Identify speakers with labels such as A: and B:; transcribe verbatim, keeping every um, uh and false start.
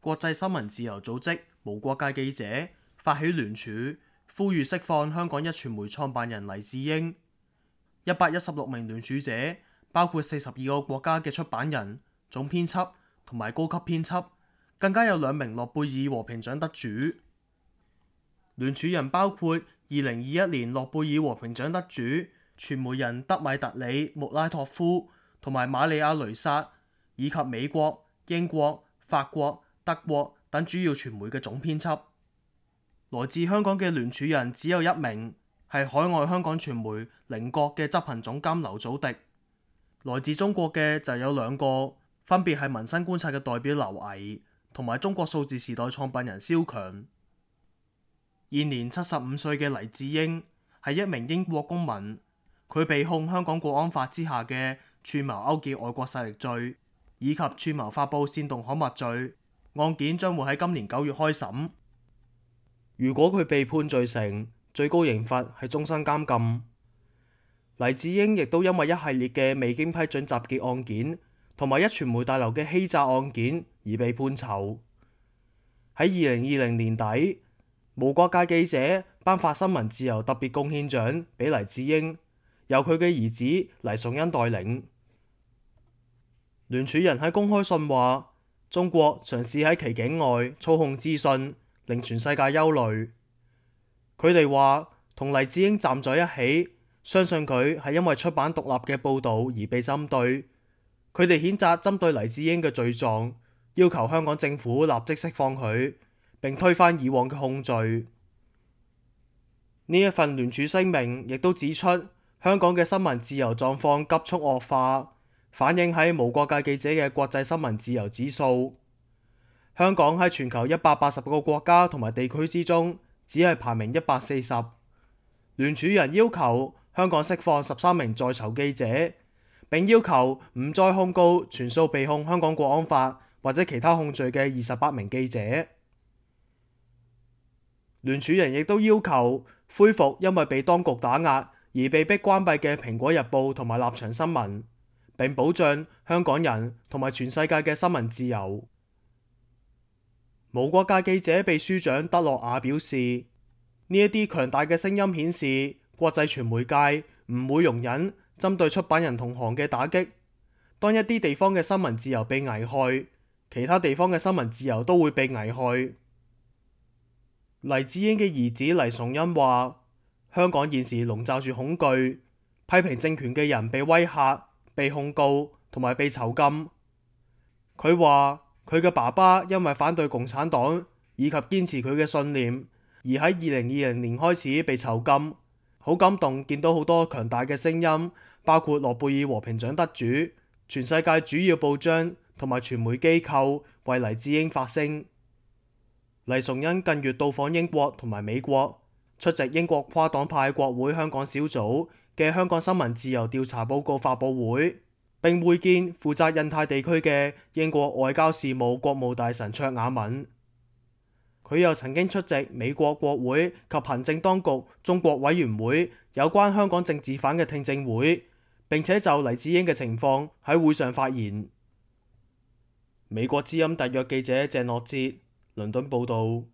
A: 國際新聞自由組織無國界記者發起聯署，呼籲釋放香港壹傳媒創辦人黎智英。一百一十六名聯署者包括四十二個國家嘅出版人、總編輯同埋高級編輯，更加有兩名諾貝爾和平獎得主。聯署人包括二零二一年諾貝爾和平獎得主傳媒人德米特里穆拉托夫同埋瑪利亞雷薩，以及美國、英國、法國、德國等主要傳媒嘅總編輯。來自香港嘅聯署人只有一名，係海外香港傳媒菱角嘅執行總監劉祖迪。來自中國嘅就有兩個，分別係民生觀察嘅代表劉毅同埋中國數字時代創辦人蕭強。現年七十五歲嘅黎智英係一名英國公民，佢被控香港國安法之下嘅串謀勾結外國勢力罪以及串謀發布煽動刊物罪，案件將會喺今年九月開審。如果佢被判罪成，最高刑罰係終身監禁。黎智英亦都因為一系列嘅未經批准集結案件同埋壹傳媒大樓嘅欺詐案件而被判囚。喺二零二零年底，無國界記者頒發新聞自由特別貢獻獎俾黎智英，由佢嘅兒子黎崇恩代領。聯署人喺公開信話，中國嘗試喺其境外操控資訊，令全世界憂慮。佢哋話同黎智英站在一起，相信佢係因為出版獨立嘅報導而被針對。佢哋譴責針對黎智英嘅罪狀，要求香港政府立即釋放佢，並推翻以往嘅控罪。呢一份聯署聲明亦都指出，香港嘅新聞自由狀況急速惡化，反映喺無國界記者嘅國際新聞自由指數。香港喺全球一百八十個國家同埋地區之中，只係排名一百四十。聯署人要求香港釋放十三名在囚記者，並要求唔再控告全數被控香港國安法或者其他控罪嘅二十八名記者。聯署人亦都要求恢復因為被當局打壓而被迫關閉嘅《蘋果日報》同埋《立場新聞》，並保障香港人同埋全世界嘅新聞自由。無國界記者秘書長德洛亞表示，呢一啲強大嘅聲音顯示，國際傳媒界唔會容忍針對出版人同行嘅打擊。當一啲地方嘅新聞自由被危害，其他地方嘅新聞自由都會被危害。黎智英嘅兒子黎崇恩話，香港現時籠罩住恐懼，批評政權嘅人被威嚇、被控告同埋被囚禁。佢話佢嘅爸爸因為反對共產黨以及堅持佢嘅信念，而喺二零二零年開始被囚禁。好感動見到好多強大嘅聲音，包括諾貝爾和平獎得主、全世界主要報章同埋傳媒機構為黎智英發聲。黎崇恩近月到訪英國同埋美國，出席英國跨黨派國會香港小組嘅香港新聞自由調查報告發佈會，並會見負責印太地區嘅英國外交事務國務大臣卓雅敏。佢又曾經出席美國國會及行政當局中國委員會有關香港政治犯嘅聽證會，並且就黎智英嘅情況喺會上發言。美國之音特約記者鄭樂哲倫敦報道。